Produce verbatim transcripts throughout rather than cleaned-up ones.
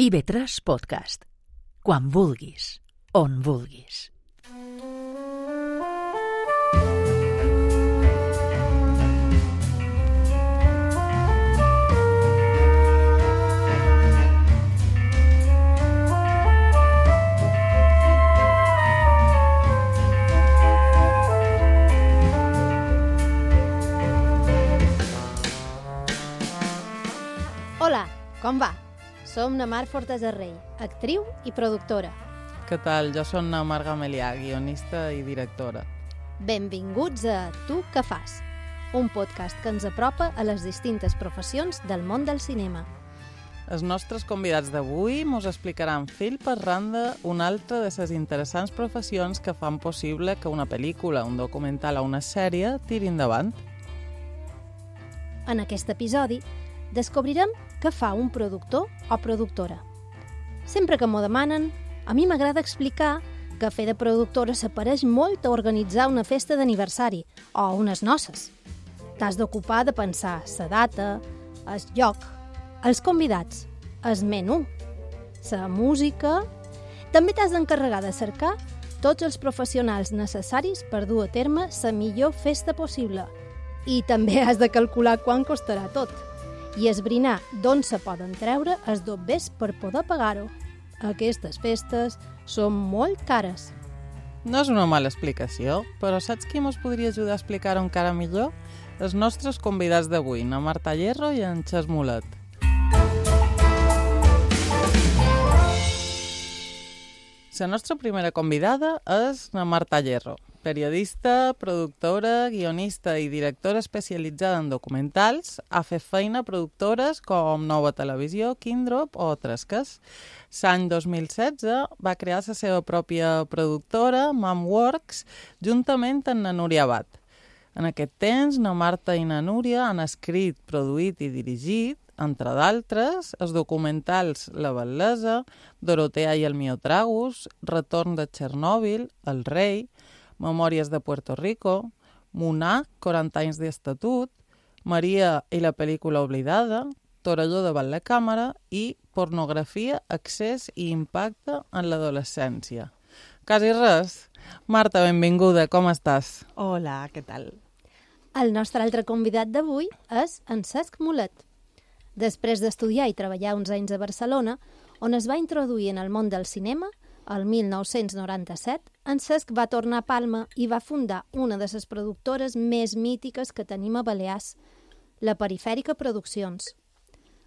I ve tres Podcast. Quan vulguis, on vulguis. Hola, com va? Som na Mar Fortesa Rey, actriu i productora. Què tal? Jo soc na Mar Gamelià, guionista i directora. Benvinguts a Tu què fas? Un podcast que ens apropa a les distintes professions del món del cinema. Els nostres convidats d'avui mos explicaran fil per randa una altra de les interessants professions que fan possible que una pel·lícula, un documental o una sèrie tiri endavant. En aquest episodi descobrirem què fa un productor o productora. Sempre que m'ho demanen, a mi m'agrada explicar que fer de productora s'apareix molt a organitzar una festa d'aniversari o unes noces. T'has d'ocupar de pensar la data, el lloc, els convidats, el menú, la música... També t'has d'encarregar de cercar tots els professionals necessaris per dur a terme la millor festa possible. I també has de calcular quant costarà tot i esbrinar d'on se poden treure els dobbers per poder pagar-ho. Aquestes festes són molt cares. No és una mala explicació, però saps qui mos podria ajudar a explicar-ho encara millor? Els nostres convidats d'avui, na Marta Hierro i en Xes Mulet. La nostra primera convidada és na Marta Hierro, periodista, productora, guionista i directora especialitzada en documentals. Ha fet feina a productores com Nova Televisió, Kindrop o Tresques. L'any dos mil setze va crear la seva pròpia productora, Mamworks, juntament amb na Núria Abad. En aquest temps, na Marta i na Núria han escrit, produït i dirigit, entre d'altres, els documentals La Bel·lesa, Dorotea i el Miotragus, Retorn de Txernòbil, El Rei, Memòries de Puerto Rico, Monar, quaranta anys d'estatut, Maria i la pel·lícula oblidada, Torelló davant la càmera i Pornografia, accés i impacte en l'adolescència. Quasi res. Marta, benvinguda, com estàs? Hola, què tal? El nostre altre convidat d'avui és en Cesc Mulet. Després d'estudiar i treballar uns anys a Barcelona, on es va introduir en el món del cinema, el mil nou-cents noranta-set, en Cesc va tornar a Palma i va fundar una de les productores més mítiques que tenim a Balears, la Perifèrica Produccions.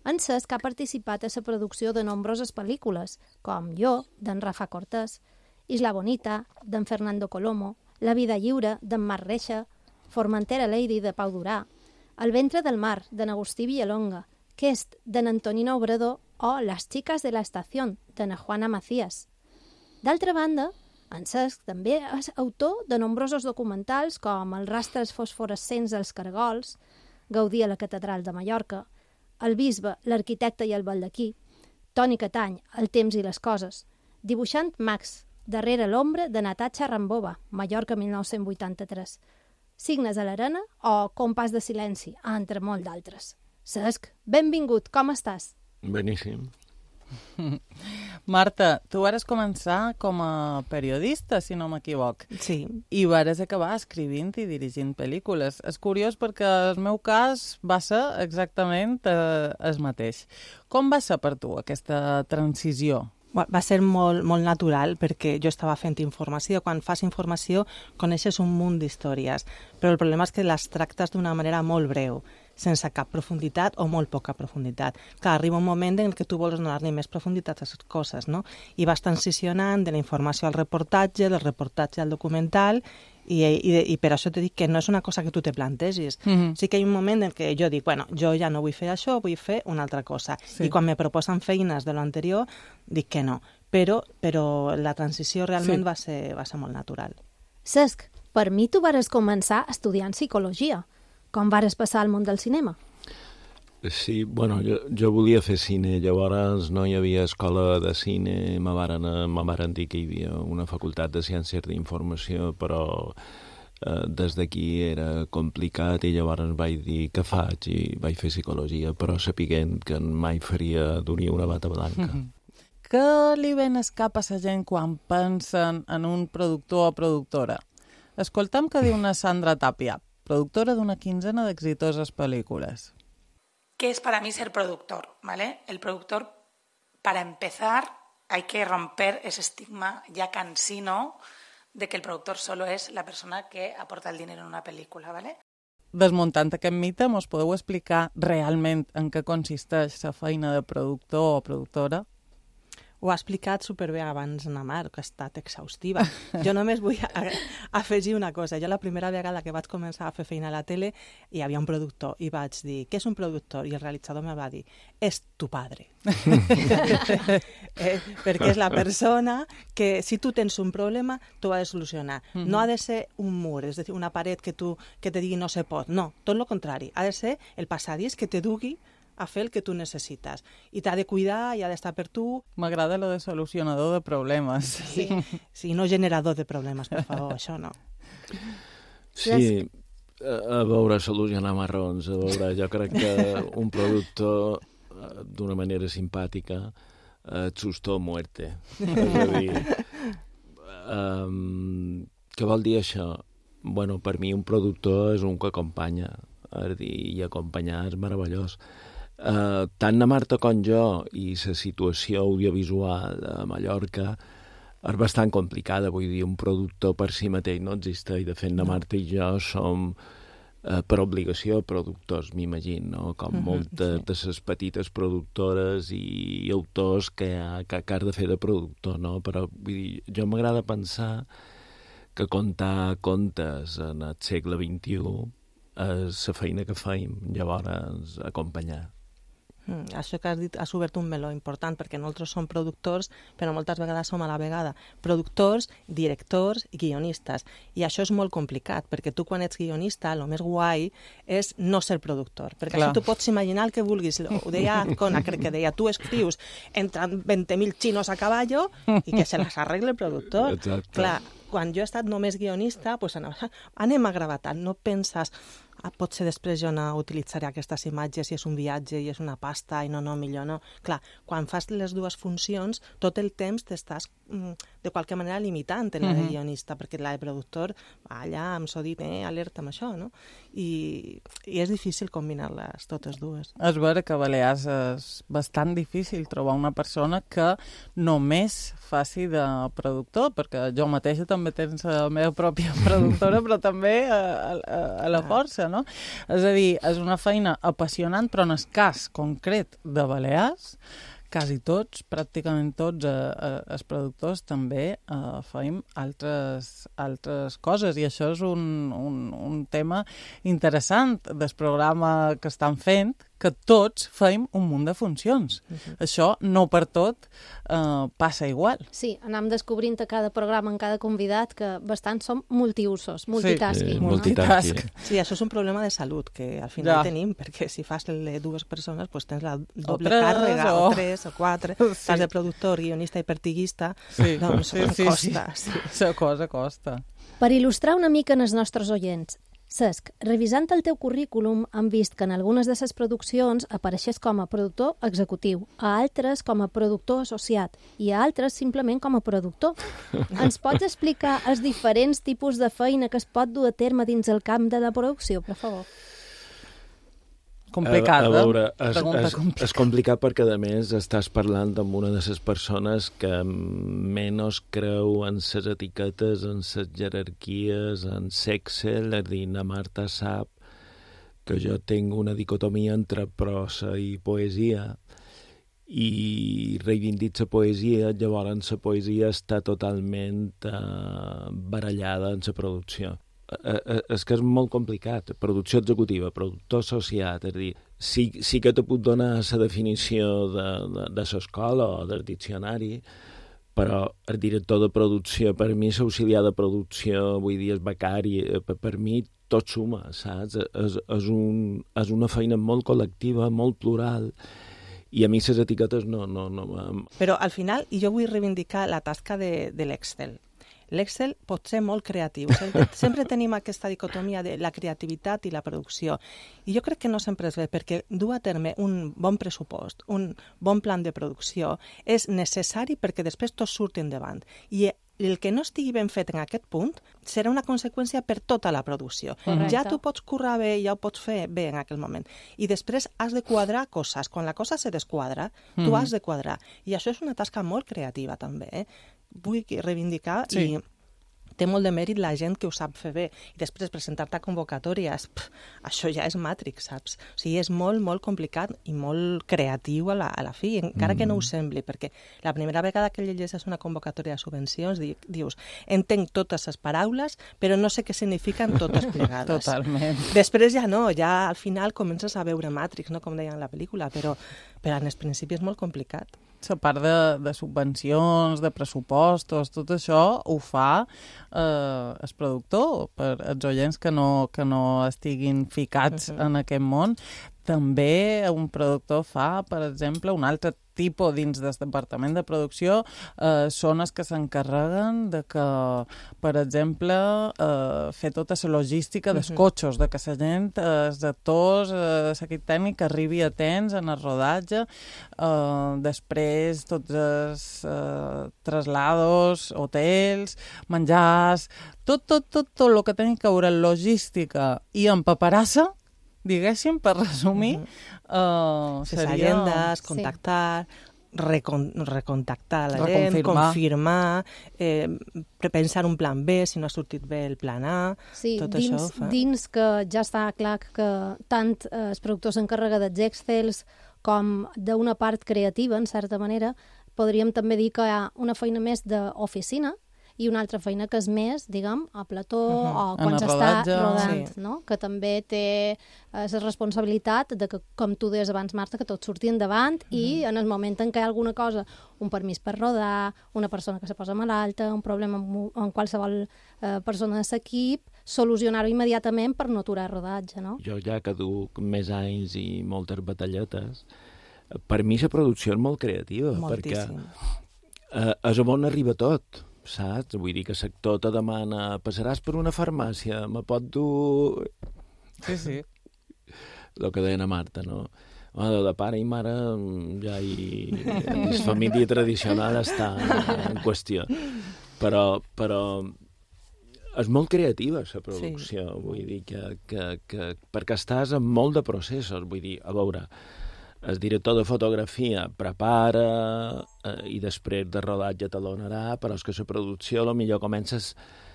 En Cesc ha participat a la producció de nombroses pel·lícules, com Jo, d'en Rafa Cortés, Isla Bonita, d'en Fernando Colomo, La vida lliure, d'en Marc Reixa, Formentera Lady, de Pau Durà, El ventre del mar, d'en Agustí Villalonga, Quest, d'en Antonino Obrador o Las chicas de la estación, d'en Juana Macías. D'altra banda, en Cesc també és autor de nombrosos documentals com Els rastres fosforescents dels cargols, Gaudí a la catedral de Mallorca, El bisbe, l'arquitecte i el baldaquí, Toni Catany, El temps i les coses, Dibuixant Max, Darrere l'ombra, de Natasha Rambova, Mallorca mil nou-cents vuitanta-tres, Signes a l'arena o Compàs de silenci, entre molt d'altres. Cesc, benvingut, com estàs? Beníssim. Marta, tu vares començar com a periodista, si no m'equivoc. Sí. I vares acabar escrivint i dirigint pel·lícules. És curiós perquè el meu cas va ser exactament eh, el mateix. Com va ser per tu aquesta transició? Va ser molt, molt natural perquè jo estava fent informació. Quan fas informació coneixes un munt d'històries, però el problema és que les tractes d'una manera molt breu, sense cap profunditat o molt poca profunditat. Clar, arriba un moment en què tu vols donar-li més profunditat a les coses, no? I vas transicionant de la informació al reportatge, del reportatge al documental, i, i, i per això t'he dit que no és una cosa que tu te plantegis. Mm-hmm. Sí que hi ha un moment en què jo dic, bueno, jo ja no vull fer això, vull fer una altra cosa. Sí. I quan me proposen feines de lo anterior, dic que no. Però, però la transició realment sí. va ser, va ser molt natural. Cesc, per mi tu vares començar estudiant psicologia. Com vares passar al món del cinema? Sí, bueno, jo, jo volia fer cine, llavors no hi havia escola de cine, me varen, me varen dir que hi havia una facultat de ciències d'informació, però eh, des d'aquí era complicat i llavors vaig dir què faig i vaig fer psicologia, però sapiguent que mai faria d'unir una bata blanca. Mm-hmm. què li ven es cap a la gent quan pensen en un productor o productora? Escoltam què diu una Sandra Tapia, productora d'una quinzena d'exitoses pel·lícules. ¿Qué es para mí ser productor? ¿Vale? El productor, para empezar, hay que romper ese estigma ya cansino de que el productor solo es la persona que aporta el dinero en una película, ¿vale? Desmuntant aquest mite, mos podeu explicar realment en què consisteix la feina de productor o productora? Ho ha explicat superbé abans na Mar, que ha estat exhaustiva. Jo només vull a, afegir una cosa. Jo la primera vegada que vaig començar a fer feina a la tele hi havia un productor i vaig dir, què és un productor? I el realitzador me va dir, és tu padre. eh, perquè és la persona que si tu tens un problema t'ho ha de solucionar. Mm-hmm. No ha de ser un mur, és a dir, una paret que, tu, que te digui no se pot. No, tot el contrari. Ha de ser el passadís que te dugui a fer el que tu necessites. I t'ha de cuidar i ha d'estar per tu. M'agrada lo de solucionador de problemes. Sí, sí, no generador de problemes, per favor, això no. Sí, a veure, solucionar marrons, a veure, jo crec que un productor, d'una manera simpàtica, et susto muerte. És a dir, um, què vol dir això? Bueno, per mi un productor és un que acompanya, és dir, i acompanyar és meravellós. Uh, tant na Marta com jo i la situació audiovisual a Mallorca és bastant complicada, vull dir, un productor per si mateix no existeix. De fet, na Marta i jo som uh, per obligació productors, m'imagino, no? Com uh-huh, moltes sí. de les petites productores i autors que, ha, que, que has de fer de productor, no? Però vull dir, jo m'agrada pensar que contar contes en el segle vint-i-u és la feina que feim, llavors acompanyar. Mm, això que has dit has obert un meló important, perquè nosaltres som productors, però moltes vegades som a la vegada productors, directors i guionistes. I això és molt complicat, perquè tu quan ets guionista, el més guai és no ser productor, perquè Clar. Això tu pots imaginar el que vulguis. Ho deia Azcona, crec que deia, tu escrius, entran vint mil xinos a caballo i que se les arregle el productor. Exacte. Clar, quan jo he estat només guionista, doncs anem a gravar tant, no penses... Ah, potser després jo no utilitzaré aquestes imatges si és un viatge i és una pasta i no, no, millor no. Clar, quan fas les dues funcions, tot el temps t'estàs mm, de qualque manera limitant en la de guionista, perquè la de productor, allà em s'ho dit, eh, alerta amb això, no? I, i és difícil combinar-les totes dues. És vera que a Balears és bastant difícil trobar una persona que només faci de productor, perquè jo mateixa també tens la meva pròpia productora, però també a, a, a la força, no? És a dir, és una feina apassionant, però en el cas concret de Balears, quasi tots, pràcticament tots eh, eh, els productors també eh, feim altres, altres coses, i això és un, un, un tema interessant del programa que estan fent, que tots feim un munt de funcions. Uh-huh. Això no per tot eh, passa igual. Sí, anam descobrint a cada programa, en cada convidat, que bastant som multiusos, multitasking. Sí, sí, multitasking. Sí, això és un problema de salut que al final ja. tenim, perquè si fas les dues persones pues tens la doble tres, càrrega, o... o tres, o quatre, sí. Estàs de productor, guionista i pertiguista, sí. doncs sí, sí, costa. Sí, sí. Sí. La cosa costa. Per il·lustrar una mica en els nostres oients, Cesc, revisant el teu currículum, hem vist que en algunes de les produccions apareixes com a productor executiu, a altres com a productor associat i a altres simplement com a productor. Ens pots explicar els diferents tipus de feina que es pot dur a terme dins el camp de la producció, per favor? Complicada. A, a veure, és, és, és complicat perquè, a més, estàs parlant amb una de les persones que menys creu en les etiquetes, en les jerarquies, en sexe. És dir, na Marta sap que jo tinc una dicotomia entre prosa i poesia i reivindic la poesia, llavors la poesia està totalment eh, barallada en la producció. És que és molt complicat. Producció executiva, productor associat, és a dir, sí, sí que te puc donar la definició de, de, de l'escola o del diccionari, però el director de producció, per mi, l'auxiliar de producció, vull dir, el becari, per, per mi tot suma, saps? És, és, un, és una feina molt col·lectiva, molt plural, i a mi les etiquetes no... no, no... Però al final, jo vull reivindicar la tasca de, de l'Excel. L'Excel pot ser molt creatiu. Sempre, sempre tenim aquesta dicotomia de la creativitat i la producció. I jo crec que no sempre és bé, perquè dur a terme un bon pressupost, un bon plan de producció, és necessari perquè després tot surti endavant. I el que no estigui ben fet en aquest punt serà una conseqüència per tota la producció. Correcte. Ja tu pots currar bé, ja ho pots fer bé en aquell moment. I després has de quadrar coses. Quan la cosa se desquadra, tu Mm. has de quadrar. I això és una tasca molt creativa, també. Eh? Vull reivindicar Sí. i té molt de mèrit la gent que ho sap fer bé. I després presentar-te a convocatòries, pff, això ja és Matrix, saps? O sigui, és molt, molt complicat i molt creatiu a la, a la fi, encara que no ho sembli, perquè la primera vegada que llegeixes una convocatòria de subvencions di, dius, entenc totes les paraules, però no sé què signifiquen totes plegades. Totalment. Després ja no, ja al final comences a veure Matrix, no? Com deien en la pel·lícula, però, però en el principi és molt complicat. La part de, de subvencions, de pressupostos, tot això ho fa eh, el productor, per els oients que no, que no estiguin ficats uh-huh. en aquest món. També un productor fa, per exemple, un altre tipus dins del departament de producció, eh, són els que s'encarreguen de que, per exemple, eh, fer tota la logística dels Uh-huh. cotxes, de que la gent, eh, els actors, eh, l'equip tècnic arribi a temps en el rodatge, eh, després tots els eh, traslados, hotels, menjars, tot, tot, tot, tot el que tenen que veure en logística i en paperassa, diguéssim, per resumir, uh-huh. uh, Les seria... agendes, contactar, recon, recontactar la gent, Reconfirmar. confirmar, eh, pensar un plan B, si no ha sortit bé el plan A, Sí, tot dins, això ho fa. dins que ja està clar que tant eh, el productor s'encarrega dels Excels com d'una part creativa, en certa manera, podríem també dir que hi ha una feina més d'oficina i una altra feina que és més, diguem, a plató Uh-huh. o En quan el s'està rodatge. rodant, Sí. no? Que també té eh, la responsabilitat de que, com tu deies abans, Marta, que tot surti endavant uh-huh. i en el moment en què hi ha alguna cosa, un permís per rodar, una persona que se posa malalta, un problema amb, amb qualsevol eh, persona de l'equip, solucionar-ho immediatament per no aturar el rodatge, no? Jo ja que duc més anys i moltes batalletes, per mi la producció és molt creativa, Moltíssim. perquè eh, és on arriba tot, saps? Vull dir que l'actor te demana, passaràs per una farmàcia, me pot dur... Sí, sí. El que deia la Marta, no? Bueno, de pare i mare ja hi... La família tradicional està en qüestió. Però, però és molt creativa, la producció. Sí. Vull dir que, que, que... Perquè estàs en molt de processos. Vull dir, a veure, el director de fotografia prepara eh, i després de rodatge talonarà, però és que la producció potser comences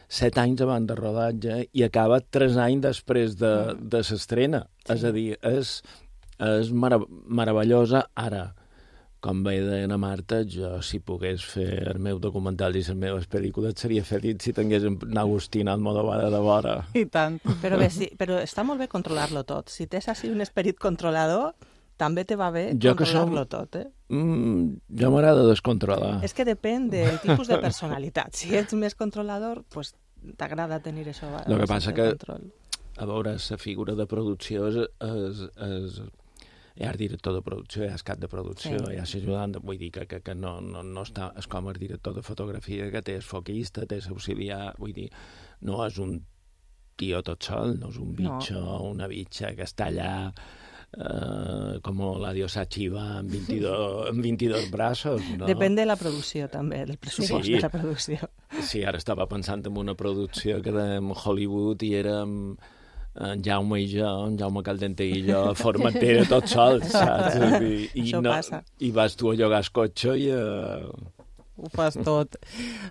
set anys abans de rodatge i acaba tres anys després de, de l'estrena. Sí. És a dir, és, és marav meravellosa ara. Com bé deia la Marta, jo si pogués fer el meu documental i les meves pel·lícules seria feliç si tingués en Agustín Almodóvar de vora. I tant. Però, bé, sí, però està molt bé controlar-lo tot. Si tens així un esperit controlador, també te va bé Jo que controlar-lo som- tot, eh? Mm, jo m'agrada descontrolar. És que depèn del tipus de personalitat. Si ets més controlador, pues, t'agrada tenir això. Lo que passa que- Control. A veure, la figura de producció és... és, és hi ha el director de producció, hi ha el cap de producció, Sí. hi ha l'ajudant, vull dir que, que, que no, no, no està... És com el director de fotografia, que té el foquista, té l'auxiliar, vull dir, no és un tio tot sol, no és un bitxo, no. Una bitxa que està allà eh, com la diosa Chiva amb veintidós, amb veintidós braços, no? Depèn de la producció, també, del pressupost Sí. de la producció. Sí, ara estava pensant en una producció que érem Hollywood i érem en Jaume i jo, en Jaume Caldente i jo, formatera tot sol, saps? I, i, Això no, passa. I vas tu a llogar el cotxe i... Uh... Ho fas tot.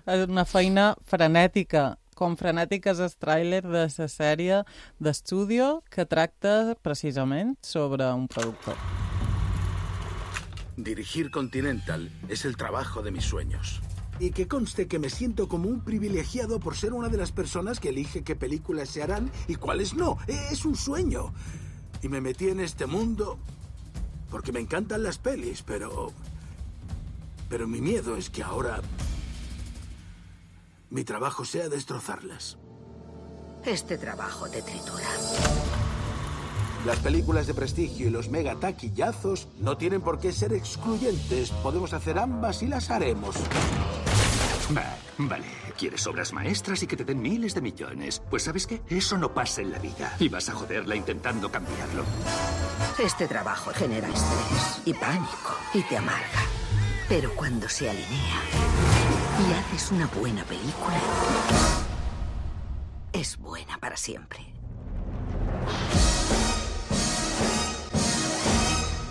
És una feina frenètica, com frenètica és el tràiler de la sèrie d'Estudio que tracta precisament sobre un productor. Dirigir Continental es el trabajo de mis sueños. Y que conste que me siento como un privilegiado por ser una de las personas que elige qué películas se harán y cuáles no. Es un sueño. Y me metí en este mundo porque me encantan las pelis, pero... Pero mi miedo es que ahora mi trabajo sea destrozarlas. Este trabajo te tritura. Las películas de prestigio y los mega taquillazos no tienen por qué ser excluyentes. Podemos hacer ambas y las haremos. Va, vale. Quieres obras maestras y que te den miles de millones. Pues ¿sabes qué? Eso no pasa en la vida. Y vas a joderla intentando cambiarlo. Este trabajo genera estrés y pánico y te amarga. Pero cuando se alinea y haces una buena película, és buena para sempre.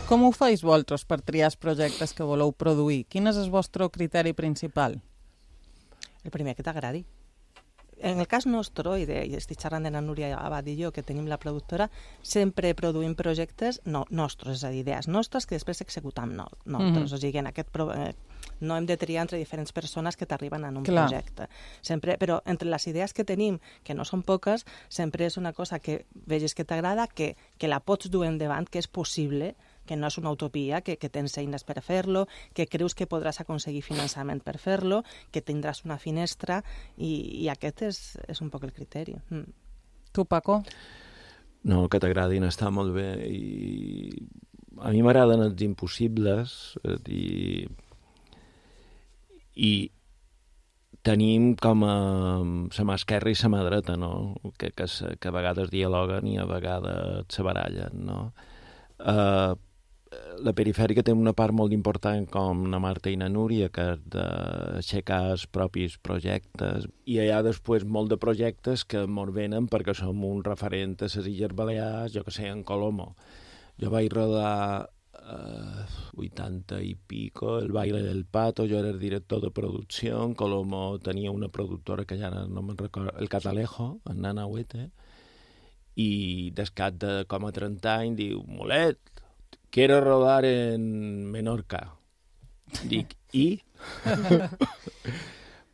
Com ho feis vosaltres per triar els projectes que voleu produir? Quin és el vostre criteri principal? El primer que t'agradi. En el cas nostre, i, de, i estic xerrant de la Núria Abad i jo, que tenim la productora, sempre produïm projectes no, nostres, és a dir, idees nostres que després executam no, nosaltres. Mm-hmm. O sigui, en aquest pro, eh, no hem de triar entre diferents persones que t'arriben en un Clar. projecte. Sempre, però entre les idees que tenim, que no són poques, sempre és una cosa que vegis que t'agrada, que, que la pots dur endavant, que és possible, que no és una utopia, que, que tens eines per fer-lo, que creus que podràs aconseguir finançament per fer-lo, que tindràs una finestra, i, i aquest és, és un poc el criteri. Mm. Tu, Paco? No, que t'agradin està molt bé, i a mi m'agraden els impossibles, i, i tenim com a la mà esquerra i la mà dreta, no? que, que, que a vegades dialoguen i a vegades se barallen, no? Uh, la perifèrica té una part molt important com la Marta i la Núria, que és d'aixecar els propis projectes, i hi ha després molt de projectes que mos venen perquè som un referent a les Illes Balears, jo que sé, en Colomo. Jo vaig rodar eh, vuitanta i pico, el Baile del Pato, jo era el director de producció, en Colomo tenia una productora que ja no me'n recordo, el Catalejo, en Nana Huete, i descat de com a trenta anys diu, Molet, quiero rodar en Menorca. Dic, ¿y?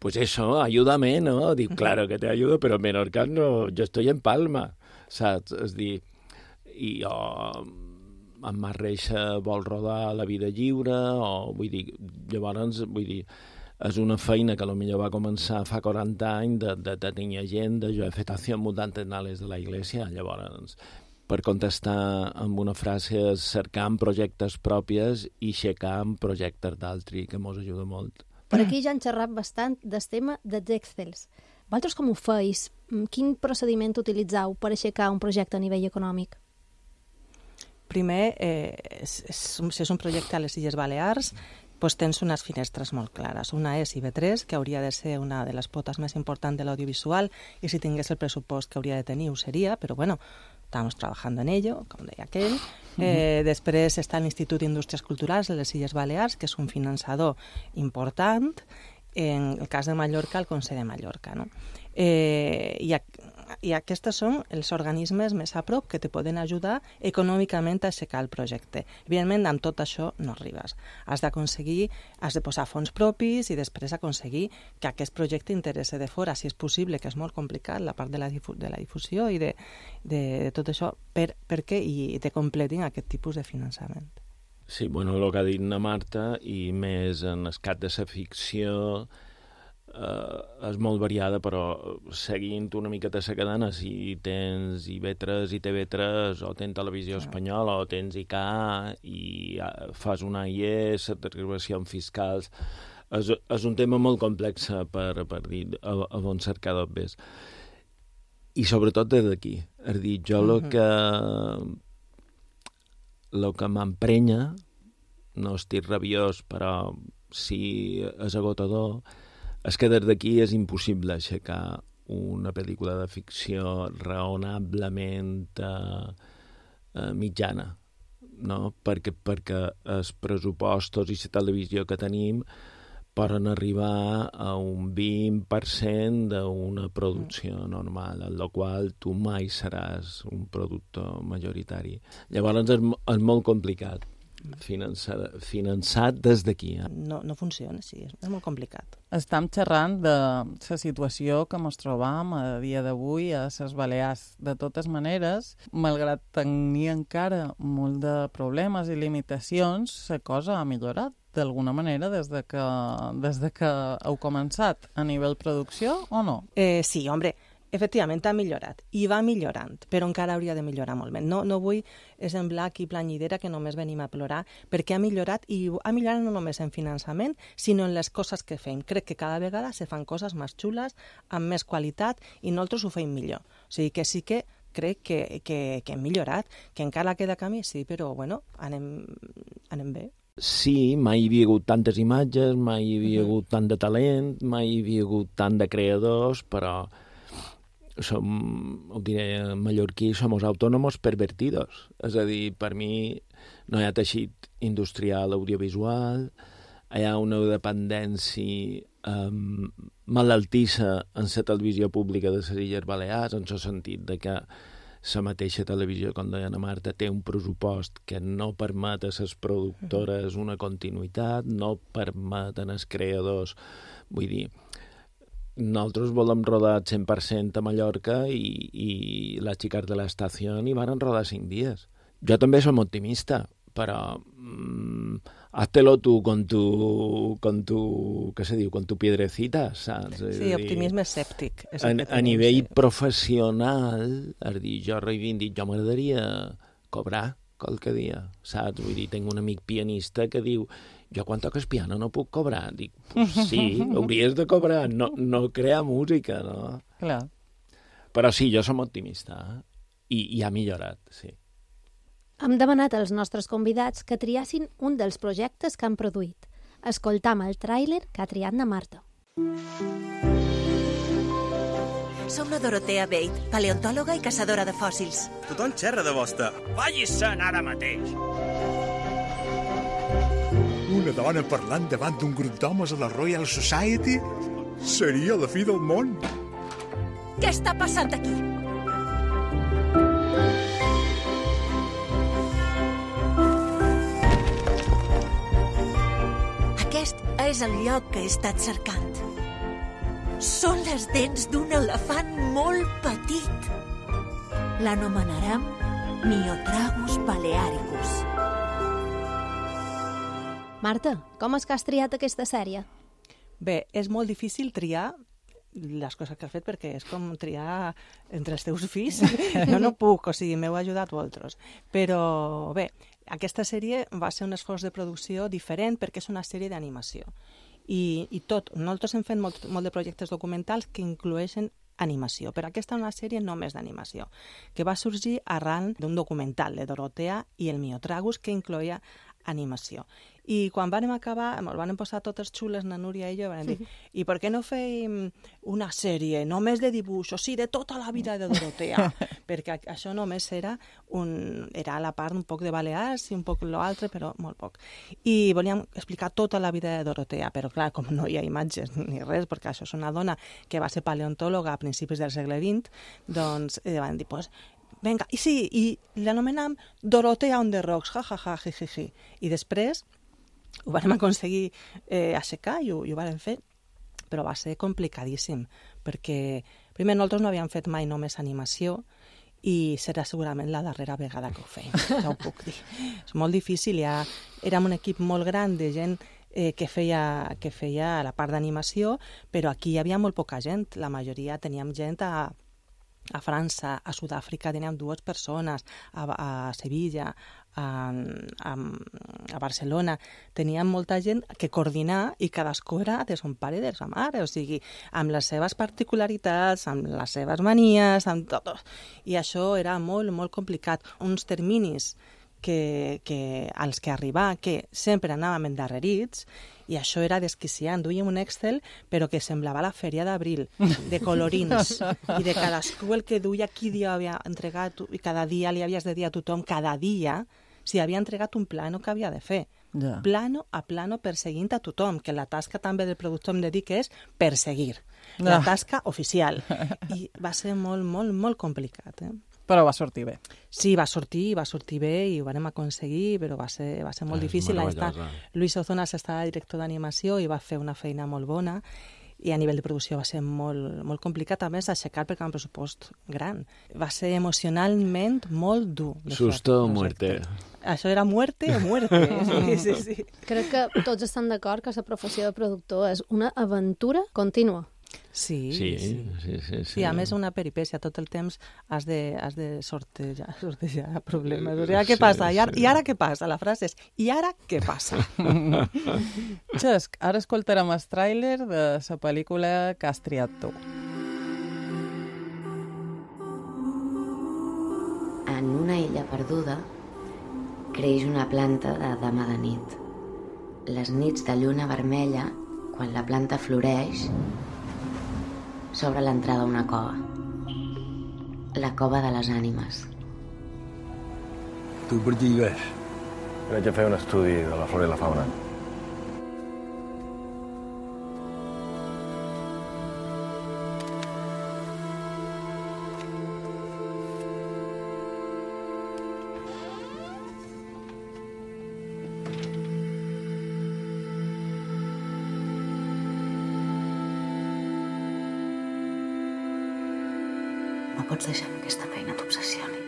Pues eso, ayúdame, ¿no? Dic, claro que te ayudo, pero Menorca no, yo estoy en Palma, saps? És dir, i jo, en Mar Reixa vol rodar La vida lliure, o vull dir, llavors, vull dir, és una feina que potser va començar fa quaranta anys de, de, de tenir agenda, jo he fet acció mutantes de la Iglesia, llavors, per contestar amb una frase, és cercar projectes propis i aixecar projectes d'altri, que mos ajuda molt. Per aquí ja han xerrat bastant del tema dels Excels. Vosaltres com ho feis? Quin procediment utilitzeu per aixecar un projecte a nivell econòmic? Primer, eh, és, és, si és un projecte a les Illes Balears, doncs tens unes finestres molt clares. Una és I B tres, que hauria de ser una de les potes més importants de l'audiovisual, i si tingués el pressupost que hauria de tenir ho seria, però bueno, estamos trabajando en ello, com deia aquell. Eh, després està l'Institut d'Indústries Culturals de les Illes Balears, que és un finançador important. En el cas de Mallorca, el Consell de Mallorca, no? Eh, i, a, I aquests són els organismes més a prop que te poden ajudar econòmicament a aixecar el projecte. Evidentment, amb tot això no arribes. Has d'aconseguir, has de posar fons propis i després aconseguir que aquest projecte interesse de fora, si és possible, que és molt complicat, la part de la, difu de la difusió i de, de, de tot això, per, perquè i te completin aquest tipus de finançament. Sí, bueno, el que ha dit na Marta, i més en el cas de la ficció, eh, és molt variada, però seguint una miqueta la cadena, si tens I B tres i T V tres, o tens Televisió Espanyola, o tens I K A, i fas una I E, certificacions fiscals, és, és un tema molt complex per, per dir a, a on cercar d'obres. I sobretot des d'aquí. És dir, jo el uh-huh. que... el que m'emprenya, no estic rabiós, però sí és agotador, és que des d'aquí és impossible aixecar una pel·lícula de ficció raonablement eh, eh, mitjana, no? Perquè, perquè els pressupostos i la televisió que tenim poden arribar a un vint per cent d'una producció normal, en la qual tu mai seràs un productor majoritari. Llavors és, és molt complicat finançar, finançat des d'aquí. Eh? No, no funciona, sí, és, és molt complicat. Estem xerrant de la situació que ens trobam a dia d'avui a les Balears. De totes maneres, malgrat tenir encara molt de problemes i limitacions, la cosa ha millorat d'alguna manera des de que, des de que heu començat a nivell producció o no? Eh, sí, hombre, efectivament ha millorat, i va millorant, però encara hauria de millorar molt més. No, no vull semblar aquí planyidera que només venim a plorar, perquè ha millorat, i ha millorat no només en finançament, sinó en les coses que fem. Crec que cada vegada se fan coses més xules, amb més qualitat, i nosaltres ho fem millor. O sigui que sí que crec que, que, que hem millorat, que encara queda camí, sí, però bueno, anem, anem bé. Sí, mai hi havia hagut tantes imatges, mai hi havia hagut tant de talent, mai hi havia hagut tant de creadors, però som, ho diré en mallorquí, som autònoms pervertidos. És a dir, per mi no hi ha teixit industrial audiovisual, hi ha una dependència um, malaltissa en la televisió pública de les Illes Balears, en el sentit de que la mateixa televisió, com deia la Marta, té un pressupost que no permet a les productores una continuïtat, no permeten als creadors, vull dir, nosaltres volem rodar cent per cent a Mallorca i, i les xiques de l'estació hi van rodar cinc dies. Jo també som optimista, però mm, háztelo tú con tu, con tu, què se diu, con tu piedrecita, saps? Sí, optimisme escèptic. A, a nivell sí. professional, és dir, jo reivindic, jo m'agradaria cobrar qualque dia, saps? Vull dir, tinc un amic pianista que diu, jo quan toques piano no puc cobrar. Dic, pues sí, hauries de cobrar, no, no crear música, no? Clar. Però sí, jo som optimista, eh? I, i ha millorat, sí. Hem demanat als nostres convidats que triassin un dels projectes que han produït. Escoltam el tràiler que ha triat na Marta. Som la Dorotea Bate, paleontòloga i caçadora de fòssils. Tothom xerra de vostè. Vagi-se'n ara mateix. Una dona parlant davant d'un grup d'homes a la Royal Society? Seria la fi del món. Què està passant aquí? Aquest és el lloc que he estat cercant. Són les dents d'un elefant molt petit. L'anomenarem Miotragus balearicus. Marta, com és que has triat aquesta sèrie? Bé, és molt difícil triar les coses que has fet perquè és com triar entre els teus fills. Jo no puc, o sigui, m'heu ajudat vosaltres. Però bé, aquesta sèrie va ser un esforç de producció diferent perquè és una sèrie d'animació. I, i tot, nosaltres hem fet molt, molt de projectes documentals que incloeixen animació, però aquesta és una sèrie només d'animació, que va sorgir arran d'un documental de Dorotea i el Miotragus que incloïa animació. I quan vam acabar, ens van posar totes xules, na Núria i jo, van dir, i per què no fèiem una sèrie només de dibuixos, sí, de tota la vida de Dorotea? Perquè això només era un, era la part un poc de Balears i un poc l'altre, però molt poc. I volíem explicar tota la vida de Dorotea, però clar, com no hi ha imatges ni res, perquè això és una dona que va ser paleontòloga a principis del segle vint, doncs eh, van dir, pues, venga, i sí, i l'anomenam Dorotea on the rocks, ja, ja, ja, ji, ji, ji. I després ho vam aconseguir eh, aixecar i ho, i ho vam fer, però va ser complicadíssim, perquè primer nosaltres no havíem fet mai només animació i serà segurament la darrera vegada que ho feim, ja ho puc dir. És molt difícil, ja érem un equip molt gran de gent eh, que, feia, que feia la part d'animació, però aquí hi havia molt poca gent, la majoria teníem gent a a França, a Sud-àfrica teníem dues persones, a, a Sevilla, a, a, a Barcelona, teníem molta gent que coordinar i cadascú era de son pare i de sa mare, o sigui, amb les seves particularitats, amb les seves manies, amb tot. I això era molt, molt complicat. Uns terminis que, que, als que arribar, que sempre anàvem endarrerits, i això era desquiciant. Duíem un Excel, però que semblava la fèria d'abril, de colorins, i de cadascú el que duia, qui dia havia entregat, i cada dia li havies de dir a tothom, cada dia, si havia entregat un plano que havia de fer. Ja. Plano a plano perseguint a tothom, que la tasca també del productor em dedica és perseguir. La tasca oficial. I va ser molt, molt, molt complicat, eh? Però va sortir bé. Sí, va sortir, va sortir bé i ho vam aconseguir, però va ser, va ser molt eh, difícil. Està, Luis Ozonas estava director d'animació i va fer una feina molt bona i a nivell de producció va ser molt, molt complicat, a més, aixecar perquè era un pressupost gran. Va ser emocionalment molt dur. Susto o muerte. Això era muerte o muerte. Sí, sí, sí. Crec que tots estan d'acord que la professió de productor és una aventura contínua. Sí, sí, sí. sí, sí, sí. Sí, a més una peripècia, tot el temps has de, has de sortejar, sortejar problemes. O sigui, què passa? I ara, I ara què passa? La frase és, i ara què passa? Xesc, ara escoltarem el tràiler de la pel·lícula que has triat tu. En una illa perduda creix una planta de dama de nit. Les nits de lluna vermella, quan la planta floreix, s'obre l'entrada a una cova. La cova de les ànimes. Tu per què hi vas? Vaig a fer un estudi de la flora i la fauna. No pots deixar que aquesta feina t'obsessioni.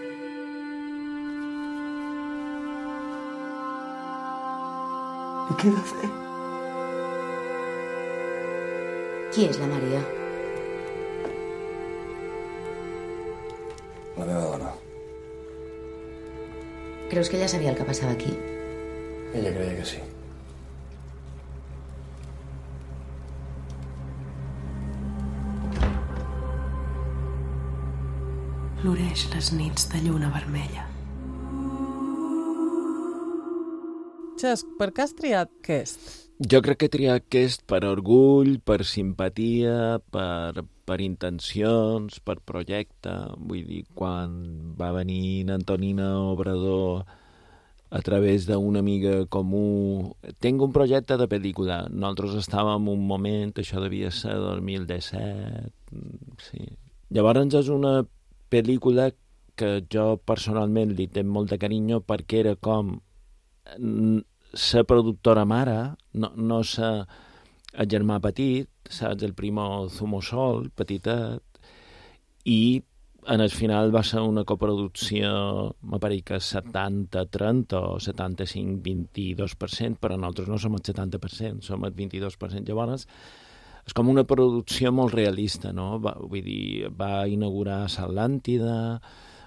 I què he de fer? Qui és la Maria? La meva dona. Creus que ella sabia el que passava aquí? Ella creia que sí. Floreix les nits de lluna vermella. Xesc, per què has triat aquest? Jo crec que he triat aquest per orgull, per simpatia, per, per intencions, per projecte. Vull dir, quan va venir Antonina Obrador a través d'una amiga comú... Tenc un projecte de pel·lícula. Nosaltres estàvem un moment, això devia ser dos mil disset... Sí. Llavors és una pel·lícula que jo personalment li tenc molt de carinyo perquè era com ser productora mare, no, no ser el germà petit, saps, el primo Zumosol, petitet, i en el final va ser una coproducció, me pareix que setanta trenta o setanta-cinc vint-i-dos per cent, però nosaltres no som el setanta per cent, som el vint-i-dos per cent. Llavors, és com una producció molt realista, no? Va, vull dir, va inaugurar l'Atlàntida,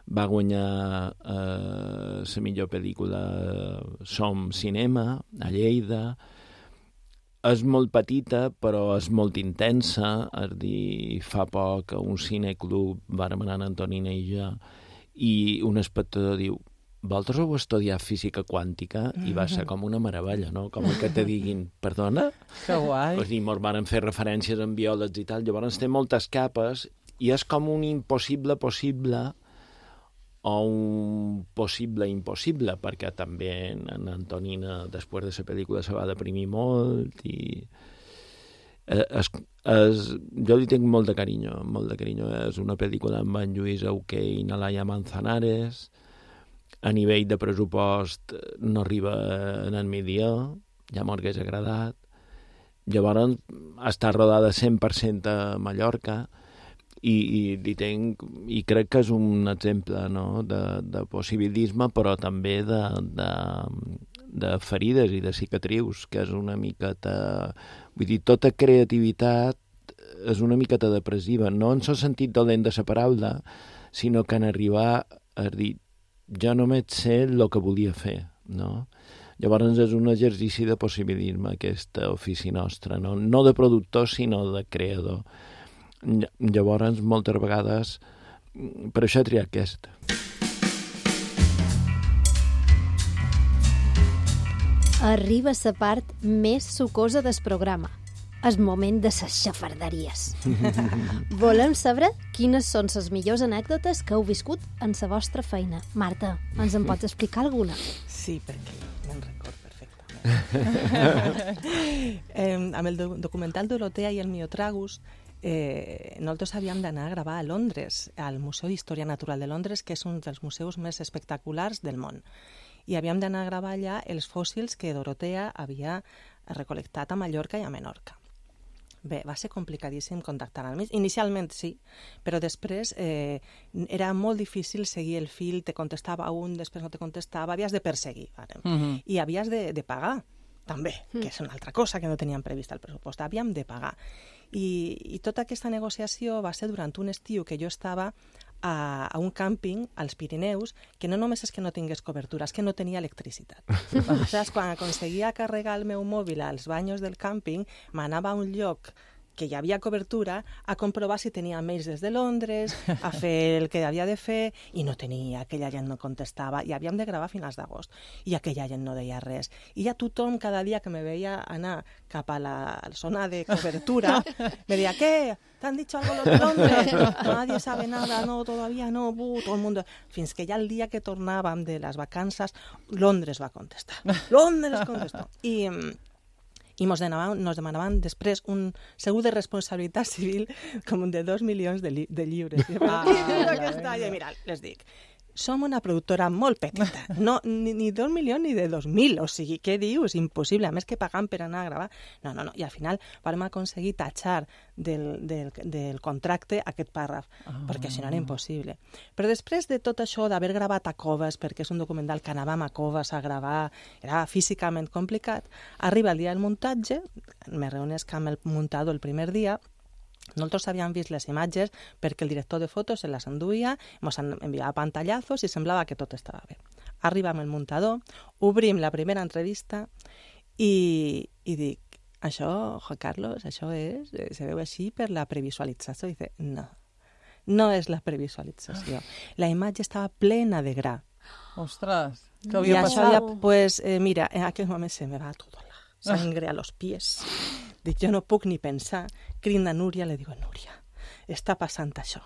va guanyar eh, la millor pel·lícula Som Cinema, a Lleida. És molt petita, però és molt intensa. És dir, fa poc a un cineclub vàrem anar Antonina i jo, i un espectador diu: vosaltres heu estudiat física quàntica? I va ser com una meravella, no? Com que te diguin, perdona? Que guai. Pues dir, mos van fer referències en biòlegs i tal. Llavors té moltes capes i és com un impossible possible o un possible impossible, perquè també en Antonina, després de la pel·lícula, se va deprimir molt i... Es, es, jo li tinc molt de carinyo, molt de carinyo. És una pel·lícula amb en Lluís Auqué i Nalaia Manzanares. A nivell de pressupost no arriba en el milió, ja m'hauria agradat. Llavors està rodada cent per cent a Mallorca i, i, i, tenc, i crec que és un exemple, no?, de, de possibilisme, però també de, de, de ferides i de cicatrius, que és una miqueta... Vull dir, tota creativitat és una miqueta depressiva, no en el sentit dolent de la paraula, sinó que en arribar a dir jo només sé el que volia fer, no? Llavors és un exercici de possibilisme, aquest ofici nostre, no, no de productor, sinó de creador. Llavors, moltes vegades, per això he triat aquest. Arriba la part més sucosa del programa. És moment de les xafarderies. Volem saber quines són les millors anècdotes que heu viscut en la vostra feina. Marta, ens en pots explicar alguna? Sí, perquè me'n record perfectament. eh, amb el do documental Dorotea i el Miotragus, eh, nosaltres havíem d'anar a gravar a Londres, al Museu d'Història Natural de Londres, que és un dels museus més espectaculars del món. I havíem d'anar a gravar allà els fòssils que Dorotea havia recol·lectat a Mallorca i a Menorca. Bé, va ser complicadíssim contactar amb ells. Inicialment sí, però després eh, era molt difícil seguir el fil, te contestava un, després no te contestava, havies de perseguir, vale? Uh-huh. I havies de, de pagar, també, que és una altra cosa que no teníem prevista al pressupost. Havíem de pagar. I, i tota aquesta negociació va ser durant un estiu que jo estava a, a un càmping als Pirineus, que no només és que no tingués cobertura, és que no tenia electricitat. Saps? Quan aconseguia carregar el meu mòbil als banyos del càmping, m'anava a un lloc que hi havia cobertura, a comprovar si tenia mails des de Londres, a fer el que havia de fer, i no tenia, aquella gent no contestava, i havíem de gravar a finals d'agost, i aquella gent no deia res. I ja tothom, cada dia que me veia anar cap a la zona de cobertura, me deia, ¿qué? ¿Te han dicho algo los de Londres? Nadie sabe nada, no, todavía no, buh, todo el mundo... Fins que ja el dia que tornàvem de les vacances, Londres va contestar. Londres contestó. I... i ens demanaven, nos demanaven després un segur de responsabilitat civil com de dos milions de, li de lliures. Ah, I mira, les dic, som una productora molt petita, no, ni, ni dos milions ni de dos mil, o sigui, què dius? Impossible, a més que pagam per anar a gravar. No, no, no, i al final vam aconseguir tatxar del, del, del contracte aquest pàrraf, ah. perquè si no era impossible. Però després de tot això, d'haver gravat a Coves, perquè és un documental que anàvem a Coves a gravar, era físicament complicat, arriba el dia del muntatge, me reunesc amb el muntador el primer dia. Nosaltres havíem vist les imatges perquè el director de fotos se les enduia, ens enviava pantallazos i semblava que tot estava bé. Arribam el muntador, obrim la primera entrevista i, i dic, això, Juan Carlos, això és, se veu així per la previsualització. I dice, no, no és la previsualització. La imatge estava plena de gra. Ostres, què havia I passat? Ja, pues, eh, mira, en aquell moment se me va tota la sangre a los pies. Dic, jo no puc ni pensar. Crida a Núria, le digo, Núria, està passant això.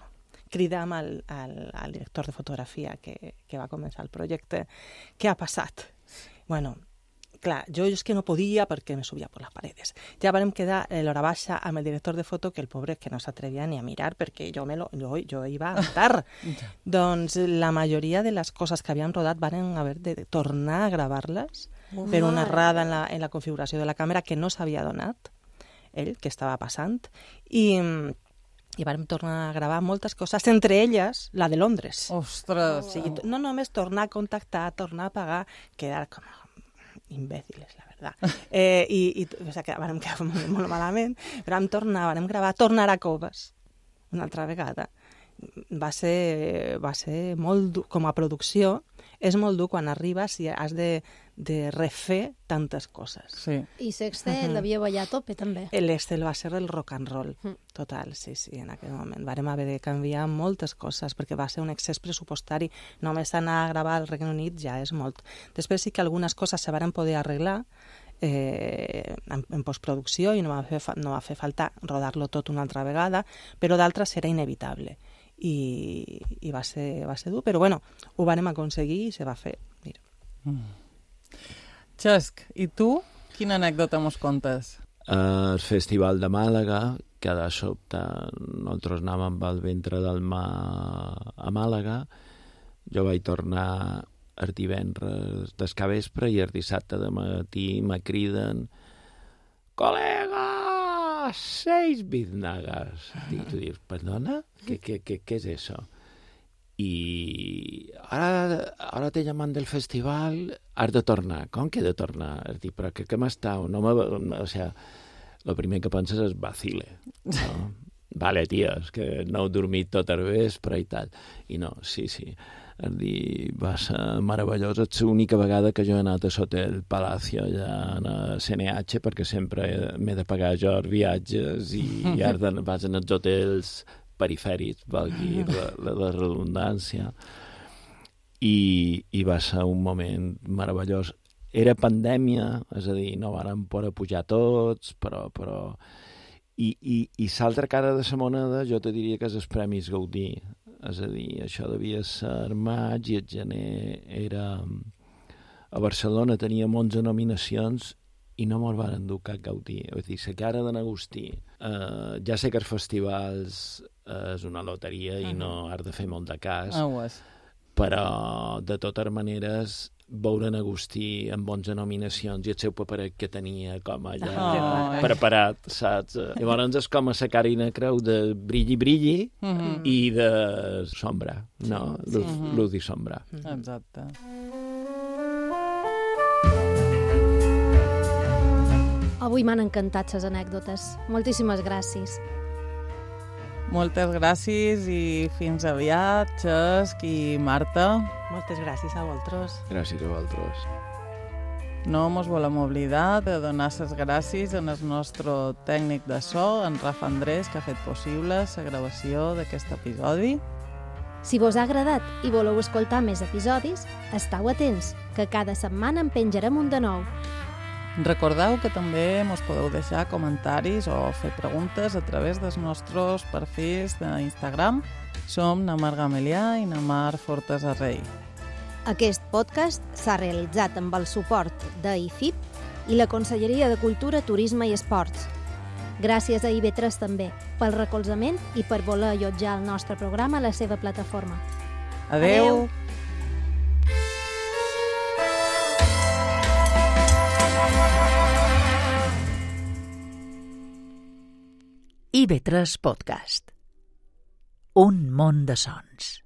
Cridam al, al, al director de fotografia que, que va començar el projecte. Què ha passat? Bueno, clar, jo és que no podia perquè me subia per les paredes. Ja vam quedar l'hora baixa amb el director de foto, que el pobre que no s'atrevia ni a mirar perquè jo, me lo, jo, jo iba a matar. Doncs la majoria de les coses que havíem rodat van haver de tornar a gravar-les per una errada en la, en la configuració de la càmera que no s'havia donat ell, que estava passant, i, i vam tornar a gravar moltes coses, entre elles la de Londres. Ostres! O sigui, no només tornar a contactar, tornar a pagar, quedar com imbèciles, la veritat. Eh, i, i, o sigui, vam quedar molt, molt malament, però vam tornar, vam gravar, tornar a Coves, una altra vegada. Va ser, va ser molt dur, com a producció, és molt dur quan arribes i has de, de refer tantes coses. Sí. I l'Excel uh-huh. devia ballar a tope, també. L'Excel va ser el rock and roll, uh-huh. total, sí, sí, en aquell moment. Vàrem haver de canviar moltes coses, perquè va ser un excés pressupostari. Només anar a gravar al Regne Unit ja és molt. Després sí que algunes coses se varen poder arreglar eh, en, en postproducció i no va fer, no va fer falta rodar-lo tot una altra vegada, però d'altres era inevitable. I, i va, ser, va ser dur, però bueno, ho vam aconseguir i se va fer. Mira. Mm. Xesc, i tu? Quina anècdota mos contes? El Festival de Màlaga, que de sobte nosaltres anàvem amb el ventre del mar a Màlaga. Jo vaig tornar el divendres d'escavespre i el dissabte de matí me criden «Col·lega! Seis biznagas». I tu dius, perdona? ¿Qué, qué, qué, ¿Qué es eso? Y ahora, ahora te llaman del festival, has de tornar. Com que he de tornar? Dic, però que, que m'estau? No me, o sea, lo primer que penses és vacile. No? Vale, tia, és que no he dormit tot el vespre i tal. I no, sí, sí. És dir, va ser meravellós. És l'única vegada que jo he anat a l'Hotel Palacio allà a C N H, perquè sempre m'he de pagar jo els viatges i, i ara vas en els hotels perifèrics, valgui la, la, la redundància. I, I va ser un moment meravellós. Era pandèmia, és a dir, no vàrem poder pujar tots, però... però... I, i, i l'altra cara de la moneda jo te diria que és els Premis Gaudí. És a dir, això devia ser maig i el gener era... A Barcelona teníem onze nominacions i no me'l van endur cap Gaudí. És a dir, la cara de n'Agustí. Uh, ja sé que els festivals uh, és una loteria i uh-huh. no has de fer molt de cas, oh, és. Però de totes maneres veure en Agustí amb onze nominacions i el seu paperet que tenia com allà oh, preparat, saps? Llavors és com a la Carina Creu de brilli, brilli uh-huh. i de sombra, no? Sí, luz, sí. luz i sombra. Exacte. Avui m'han encantat les anècdotes. Moltíssimes gràcies. Moltes gràcies i fins aviat, Xesc i Marta. Moltes gràcies a vosaltres. Gràcies a vosaltres. No mos volem oblidar de donar les gràcies al nostre tècnic de so, en Rafa Andrés, que ha fet possible la gravació d'aquest episodi. Si vos ha agradat i voleu escoltar més episodis, esteu atents, que cada setmana en penjarem un de nou. Recordeu que també mos podeu deixar comentaris o fer preguntes a través dels nostres perfils d'Instagram. Som Namar Gamelià i Namar Fortesa Rei. Aquest podcast s'ha realitzat amb el suport de I F I P i la Conselleria de Cultura, Turisme i Esports. Gràcies a I V tres també, pel recolzament i per voler allotjar el nostre programa a la seva plataforma. Adeu! Adeu. I V tres Podcast. Un món de sons.